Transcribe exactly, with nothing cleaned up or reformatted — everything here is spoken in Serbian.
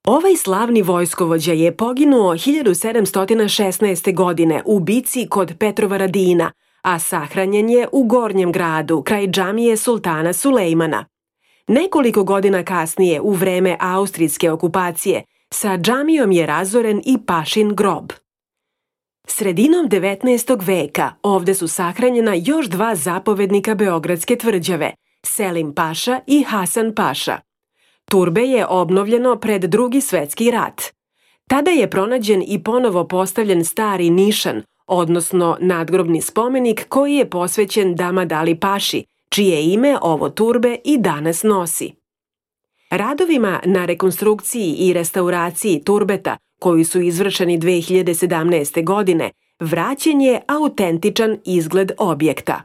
Ovaj slavni vojskovođa je poginuo hiljadu sedamsto šesnaeste. godine u bici kod Petrovaradina, a sahranjen je u Gornjem gradu, kraj džamije sultana Sulejmana. Nekoliko godina kasnije, u vreme austrijske okupacije, sa džamijom je razoren i pašin grob. Sredinom devetnaestog veka ovde su sahranjena još dva zapovednika Beogradske tvrđave, Selim paša i Hasan paša. Turbe je obnovljeno pred Drugi svetski rat. Tada je pronađen i ponovo postavljen stari nišan, odnosno nadgrobni spomenik koji je posvećen Damad Ali paši, čije ime ovo turbe i danas nosi. Radovima na rekonstrukciji i restauraciji turbeta, koji su izvršeni dve hiljade sedamnaeste. godine, vraćen je autentičan izgled objekta.